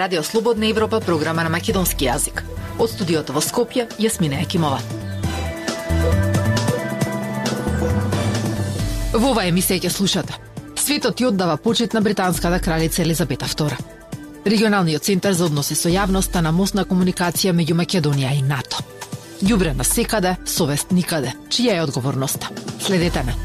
Радио Слободна Европа, програма на македонски јазик. Од студиото во Скопје, Јасмина Екимова. Во оваа емисија ќе слушате: светот ја оддава почит на британската кралица Елизабета II. Регионалниот центар за односи со јавноста на мостна комуникација меѓу Македонија и НАТО. Ѓубре на секаде, совест никаде. Чија е одговорноста? Следете ме.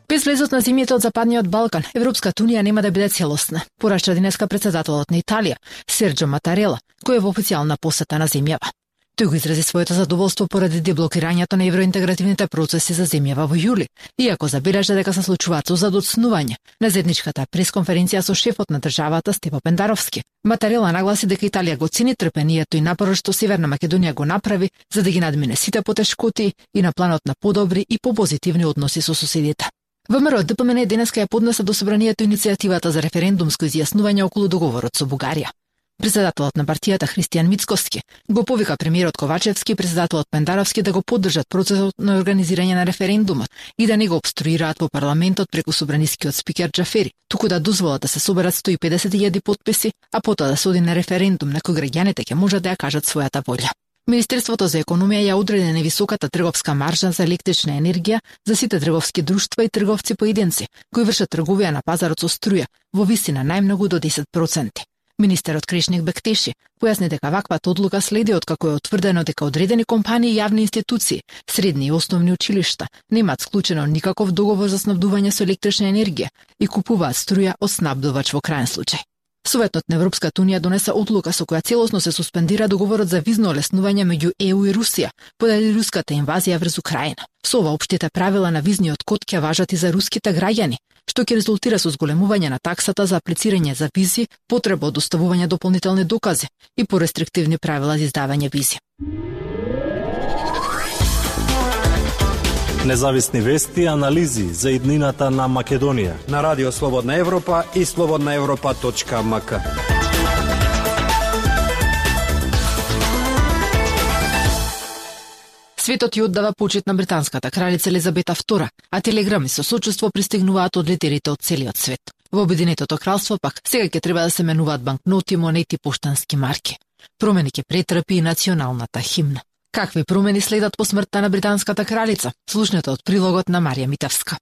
Без влезот на земјите од Западниот Балкан, Европската унија нема да биде целосна, порача денеска председателот на Италија, Серджо Матарела, кој е во официјална посета на земјава. Тој го изрази своето задоволство поради деблокирањето на евроинтегративните процеси за земјава во јули, иако забележа дека се случуваат соза доцнување на заедничката пресконференција со шефот на државата Степо Пендаровски. Матарела нагласи дека Италија го цени трпението и напорот што Северна Македонија го направи за да ги надмине сите потешкоти и на планот на подобри и попозитивни односи со соседите. ВМРО ДПМН денеска ја поднесе до собранието иницијативата за референдумско изјаснување околу договорот со Бугарија. Председателот на партијата Христијан Мицкоски го повика премиерот Ковачевски и председателот Пендаровски да го поддржат процесот на организирање на референдумот и да не го обструираат во парламентот преку собранискиот спикер Џафери, туку да дозволат да се соберат 150.000 потписи, а потоа да се оди на референдум на кој граѓаните ќе можат да ја кажат својата волја. Министерството за економија ја одреди невисоката трговска маржа за електрична енергија за сите трговски друштва и трговци поединци кои вршат трговија на пазарот со струја во висина најмногу до 10%. Министерот Крешник Бектеши појасни дека ваквата одлука следи откако е утврдено дека одредени компании и јавни институции, средни и основни училишта немаат склучено никаков договор за снабдување со електрична енергија и купуваат струја од снабдувач во крајен случај. Советот на Европската унија донесе одлука со која целосно се суспендира договорот за визно олеснување меѓу ЕУ и Русија поради руската инвазија врз Украина. Со ова општите правила на визниот код ќе важат и за руските граѓани, што ќе резултира со зголемување на таксата за аплицирање за визи, потреба од доставување дополнителни докази и порестриктивни правила за издавање визи. Независни вести и анализи за иднината на Македонија на Радио Слободна Европа и slobodnaevropa.mk. Светот ја оддава почит на британската кралица Елизабета II, а телеграми со сочувство пристигнуваат од лидерите од целиот свет. Во Обединетото кралство пак сега ќе треба да се менуваат банкноти, монети, поштански марки. Промени ќе претрпи и националната химна. Какви промени следат по смртта на британската кралица? Слушнете од прилогот на Марија Митевска.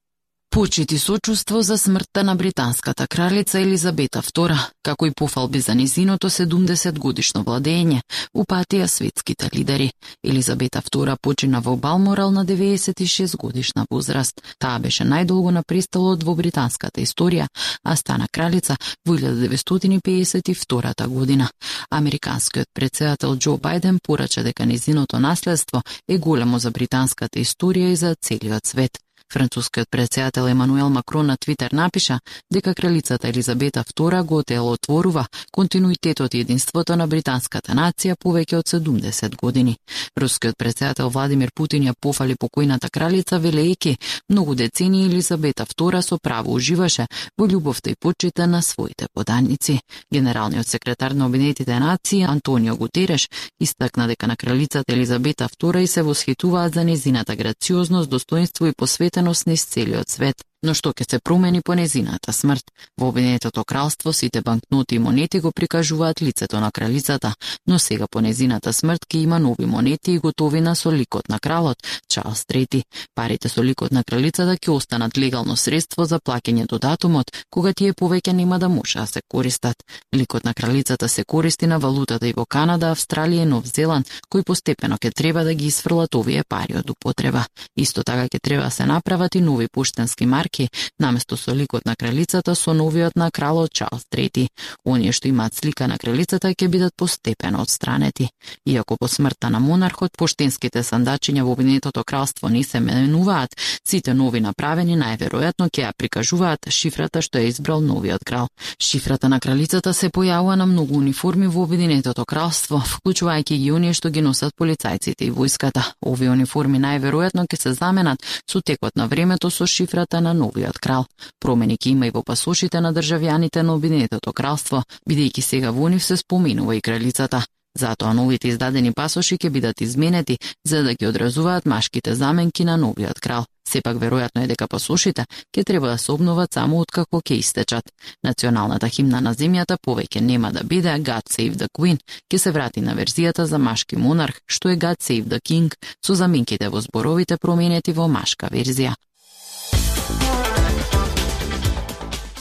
Почит и сочувство за смртта на британската кралица Елизабета II, како и пофалби за низиното 70-годишно владење, упатија светските лидери. Елизабета II почина во Балморал на 96 годишна возраст. Таа беше најдолго на престолот во британската историја, а стана кралица во 1952 година. Американскиот претседател Џо Бајден порача дека низиното наследство е големо за британската историја и за целиот свет. Францускиот претседател Емануел Макрон на Твитер напиша дека кралицата Елизабета II го отворува континуитетот и единството на британската нација повеќе од 70 години. Рускиот претседател Владимир Путин ја пофали покојната кралица велејќи многу децении Елизабета II со право уживаше во љубовта и почита на своите поданици. Генералниот секретар на Обединетите нации Антонио Гутереш истакна дека на кралицата Елизабета II и се восхитуваат за незината грациозност, достоинство и посветеност низ целиот свет. Но што ќе се промени по незината смрт? Во Обединетото кралство сите банкноти и монети го прикажуваат лицето на кралицата, но сега по незината смрт ќе има нови монети и готовина со ликот на кралот Чарлс III. Парите со ликот на кралицата ќе останат легално средство за плаќање до датумот кога тие повеќе нема да може да се користат. Ликот на кралицата се користи на валутата и во Канада, Австралија и Нов Зеланд, кои постепено ќе треба да ги исфрлат овие пари од употреба. Исто така ќе треба да се направат и нови поштенски марки наместо со ликот на кралицата со новиот на кралот Чарлс III. Оние што имаат слика на кралицата ќе бидат постепено отстранети. Иако по смртта на монархот поштенските сандачиња во Обединетото кралство не се менуваат, сите нови направени најверојатно ќе ја прикажуваат шифрата што ја избрал новиот крал. Шифрата на кралицата се појавува на многу униформи во Обединетото кралство, вклучувајќи ги оние што ги носат полицајците и војската. Овие униформи најверојатно ќе се заменат со текот на времето со шифрата на новиот крал. Промени ќе има и во пасошите на државјаните на Обединетото кралство, бидејќи сега во нив се споменува и кралицата. Затоа новите издадени пасоши ќе бидат изменети за да ги одразуваат машките заменки на новиот крал. Сепак веројатно е дека пасошите ќе треба да се обноват само откако ќе истечат. Националната химна на земјата повеќе нема да биде God Save the Queen, ќе се врати на верзијата за машки монарх, што е God Save the King, со заменките во зборовите променети во машка верзија.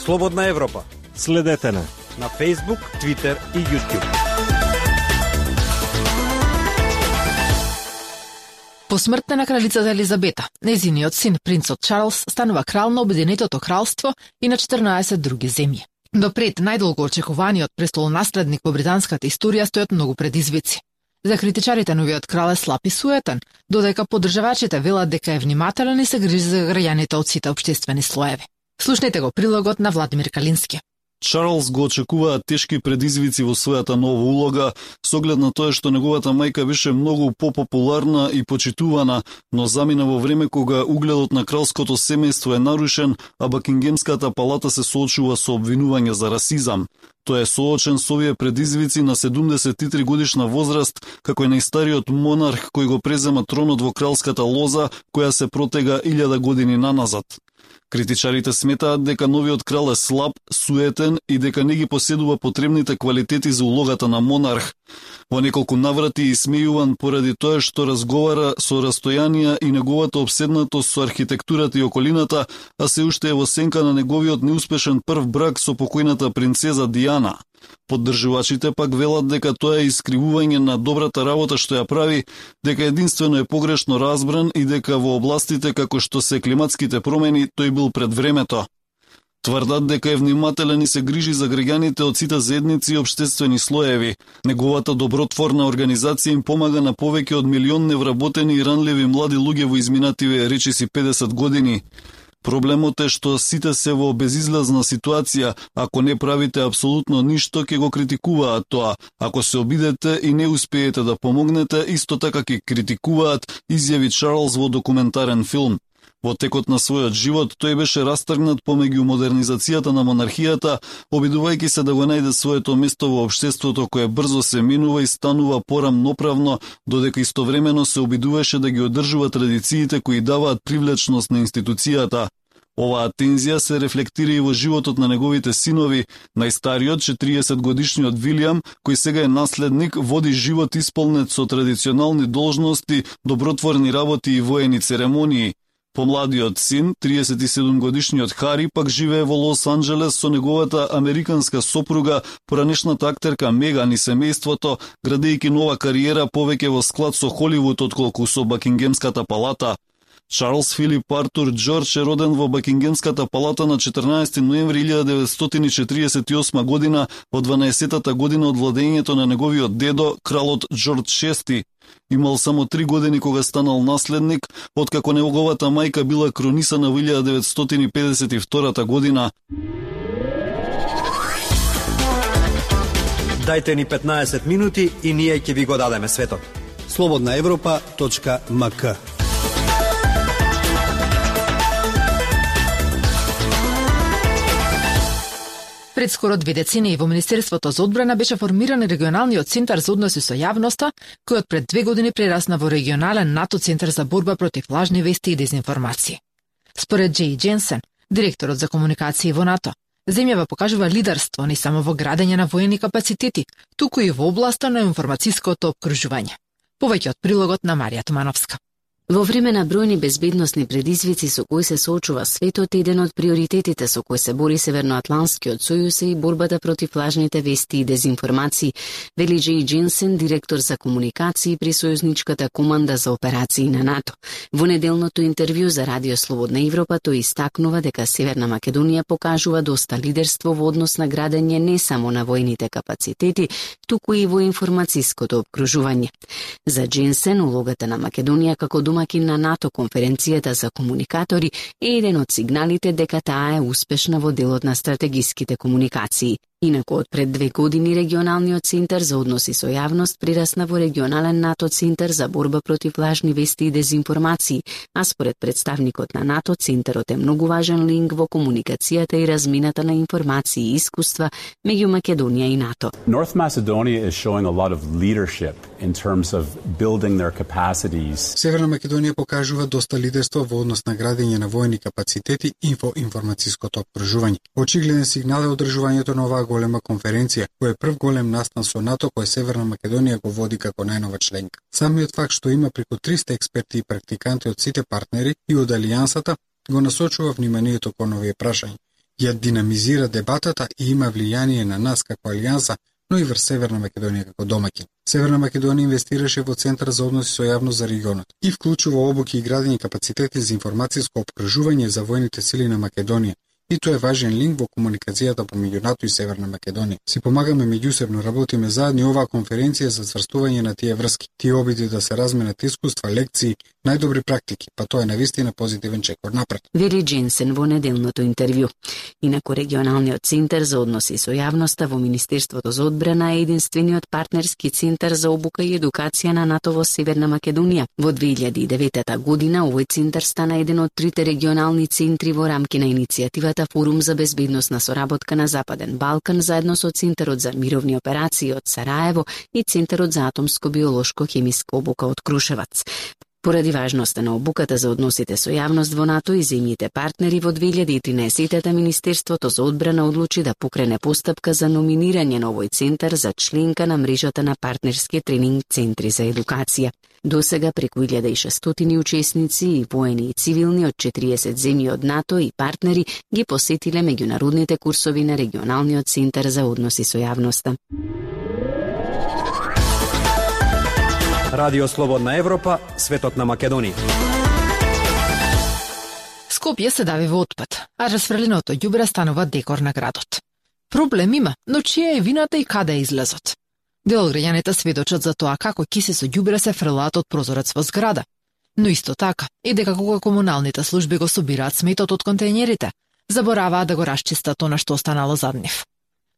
Слободна Европа. Следете на Facebook, Twitter и YouTube. По смртта на кралицата Елизабета, нејзиниот син, принцот Чарлс, станува крал на Обединетото кралство и на 14 други земји. Допред најдолго очекуваниот престолонаследник во британската историја стојат многу предизвици. За критичарите новиот крал е слаб и суетен, додека поддржавачите велат дека е внимателен и се грижи за граѓаните од сите општествени слоеви. Слушнете го прилогот на Владимир Калински. Чарлс го очекуваат тешки предизвици во својата нова улога, со оглед на тоа што неговата мајка беше многу попопуларна и почитувана, но замина во време кога угледот на кралското семејство е нарушен, а Бакингемската палата се соочува со обвинување за расизам. Тој е соочен со овие предизвици на 73 годишна возраст, како и најстариот монарх кој го презема тронот во кралската лоза, која се протега 1000 години наназад. Критичарите сметаат дека новиот крал е слаб, суетен и дека не ги поседува потребните квалитети за улогата на монарх. Во неколку наврати исмејуван поради тоа што разговара со растојанија и неговата обседнатост со архитектурата и околината, а се уште е во сенка на неговиот неуспешен прв брак со покојната принцеза Диана. Поддржувачите пак велат дека тоа е искривување на добрата работа што ја прави, дека единствено е погрешно разбран и дека во областите како што се климатските промени тој бил пред времето. Тврдат дека е внимателен и се грижи за граѓаните од сите заедници и општествени слоеви. Неговата добротворна организација им помага на повеќе од милион невработени и ранливи млади луѓе во изминативе речиси 50 години. Проблемот е што сите се во безизлазна ситуација, ако не правите апсолутно ништо, ќе го критикуваат тоа. Ако се обидете и не успеете да помогнете, исто така ќе критикуваат, изјави Чарлс во документарен филм. Во текот на својот живот, тој беше растргнат помеѓу модернизацијата на монархијата, обидувајќи се да го најде своето место во општеството кое брзо се минува и станува порамноправно, додека истовремено се обидуваше да ги одржува традициите кои даваат привлечност на институцијата. Оваа тензија се рефлектира и во животот на неговите синови. Најстариот, 40-годишниот Вилијам, кој сега е наследник, води живот исполнет со традиционални должности, добротворни работи и воени церемонии. Помладиот син, 37-годишниот Хари, пак живее во Лос Анџелес со неговата американска сопруга, поранешната актерка Меган и семејството, градејќи нова кариера повеќе во склад со Холивуд отколку со Бакингемската палата. Чарлс Филип Артур Џорџ е роден во Бакингемската палата на 14 ноември 1948 година, во 12-та година од владењето на неговиот дедо, кралот Џорџ VI. Имал само 3 години кога станал наследник, откако неговата мајка била кронисана во 1952 година. Дајте ни 15 минути и ние ќе ви го дадеме светот. slobodnaevropa.mk. Пред скоро 2 децении во Министерството за одбрана беше формиран регионалниот центар за односи со јавноста, кој од пред 2 години прерасна во регионален НАТО центар за борба против лажни вести и дезинформации. Според Джей Дженсен, директорот за комуникации во НАТО, земјава покажува лидерство не само во градење на воени капацитети, туку и во областа на информацијското опкружување. Повеќе од прилогот на Марија Тумановска. Во време на бројни безбедносни предизвици со кои се соочува светот, еден од приоритетите со кои се бори Северноатлантскиот сојуз е и борбата против лажните вести и дезинформации, вели Джей Дженсен, директор за комуникации при сојузничката команда за операции на НАТО. Во неделното интервју за Радио Слободна Европа тој истакнува дека Северна Македонија покажува доста лидерство во однос на градење не само на војните капацитети, туку и во информацијското опкружување. За Дженсен, улогата на Македонија како домакин на НАТО конференцијата за комуникатори е еден од сигналите дека таа е успешна во делот на стратегиските комуникации. Инаку од пред 2 години регионалниот центар за односи со јавност прирасна во регионален НАТО центар за борба против лажни вести и дезинформации, а според представникот на НАТО центарот е многу важен линк во комуникацијата и размината на информации и искуства меѓу Македонија и НАТО. North Macedonia is showing a lot of leadership in terms of building their capacities. Северна Македонија покажува доста лидерство во однос на градење на воени капацитети и во информацијското опкружување. Очигледен сигнал е одржувањето на оваа голема конференција, кој е прв голем настан со НАТО кој Северна Македонија го води како најнова членка. Самиот факт што има преку 300 експерти и практиканти од сите партнери и од алијансата го насочува вниманието кон овие прашања. Ја динамизира дебатата и има влијание на нас како алијанса, но и врз Северна Македонија како домаќин. Северна Македонија инвестираше во Центар за односи со јавност за регионот и вклучува обуки и градење капацитети за информацијско опкружување за војните сили на Македонија. И тоа е важен линк во комуникацијата помеѓу НАТО и Северна Македонија. Си помагаме меѓусебно, работиме заедно и оваа конференција за цврстување на тие врски. Тие обиди да се разменат искуства, лекции, најдобри практики, па тоа е навистина позитивен чекор напред. Вери Дженсен во неделното интервју. Инаку регионалниот центар за односи со јавноста во Министерството за одбрана е единствениот партнерски центар за обука и едукација на НАТО во Северна Македонија. Во 2009 година овој центар стана еден од 3 регионални центри во рамки на иницијативата Форум за безбедносна соработка на Западен Балкан заедно со Центарот за мировни операции од Сараево и Центарот за атомско-биолошко-хемиска обука од Крушевац. Поради важноста на обуката за односите со јавност во НАТО и земјите партнери, во 2013 Министерството за одбрана одлучи да покрене постапка за номинирање на овој центар за членка на мрежата на партнерски тренинг центри за едукација. До сега преку 1600 учесници и воени и цивилни од 40 земји од НАТО и партнери ги посетиле меѓународните курсови на регионалниот центар за односи со јавноста. Радио Слободна Европа, светот на Македонија. Скопје се дави во отпад, а расфрленото ѓубре станува декор на градот. Проблем има, но чија е вината и каде е излезот? Дел од граѓаните сведочат за тоа како киси со ѓубре се фрлаат од прозорец во зграда. Но исто така, и дека кога комуналните служби го собираат сметот од контејнерите, забораваат да го расчистат она што останало зад нив.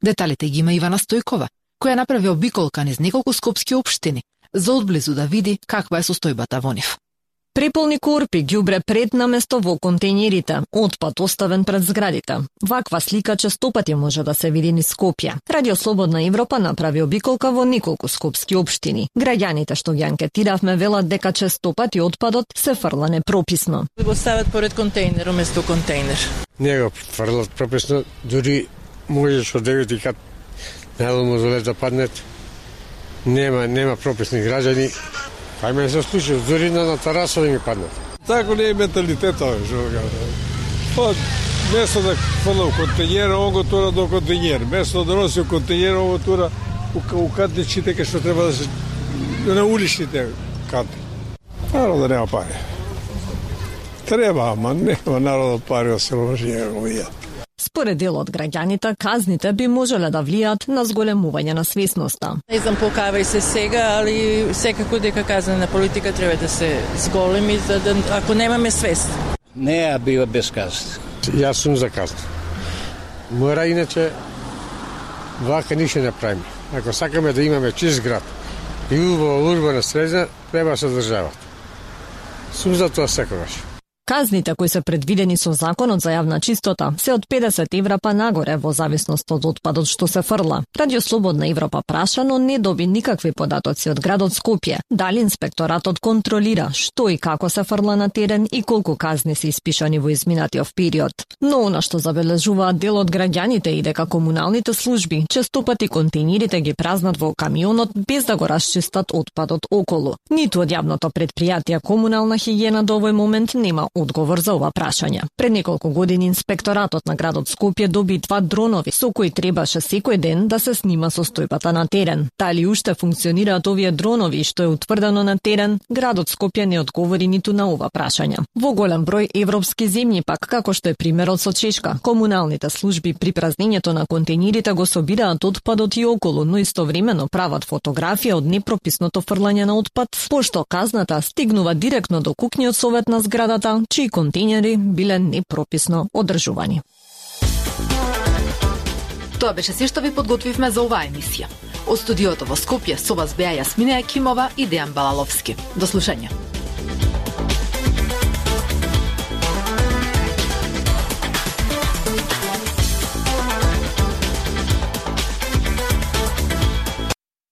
Деталите ги има Ивана Стојкова, која направи обиколка низ неколку скопски општини, за одблизу да види каква е состојбата во нив. Преполни корпи ѓубре пред на место во контејнерите, отпад оставен пред зградите. Ваква слика честопати може да се види низ Скопје. Радио Слободна Европа направи обиколка во неколку скопски општини. Граѓаните што ги анкетиравме велат дека честопати отпадот се фрла непрописно. Го стават поред контејнер уместо контејнер. Не го фрлат прописно, дури можеш од 9 и кат на мозолет да паднет. Нема прописни граѓани. Ајме се случи, дури на тарасови ми паднат. Тако не е менталитетот, што место да фрла у контејнер, он го тура до контејнер. Место да носи у контејнер, он го тура у катничите кај што треба да се на уличните катни. Народот нема пари. Треба, ама нема народот пари да се вложи овие. Според дел од граѓаните, казните би можеле да влијат на зголемување на свесноста. Не знам покавај се сега, али секако дека казнена политика треба да се зголеми, за да, ако немаме свест. Не бива без казни. Јас сум за казни. Мора иначе вака ништо не правиме. Ако сакаме да имаме чист град и убава урбана средина, треба да се држават. Сум за тоа секогаш. Казните кои се предвидени со Законот за јавна чистота се од 50 евра па нагоре во зависност од отпадот што се фрла. Радио Слободна Европа праша, но не доби никакви податоци од градот Скопје. Дали инспекторатот контролира што и како се фрла на терен и колку казни се испишани во изминатиот период. Но она што забележуваат дел од граѓаните и дека комуналните служби честопати контејнерите ги празнат во камионот без да го расчистат отпадот околу. Ниту од јавното претпријатие Комунална хигиена до овој момент нема одговор за ова прашање. Пред неколку години инспекторатот на градот Скопје доби 2 дронови со кои требаше секој ден да се снима состојбата на терен. Дали уште функционираат овие дронови што е утврдено на терен, градот Скопје не одговори ниту на ова прашање. Во голем број европски земји пак, како што е примерот со Чешка, комуналните служби при празнењето на контејнерите го собираат отпадот и околу, но истовремено прават фотографија од непрописното фрлање на отпад, пошто казната стигнува директно до куќниот совет на зградата, чии контејнери биле непрописно одржувани. Тоа беше се што ви подготвивме за оваа емисија. Од студиото во Скопје со вас беа Јасмина Екимова и Дејан Балаловски. До слушање.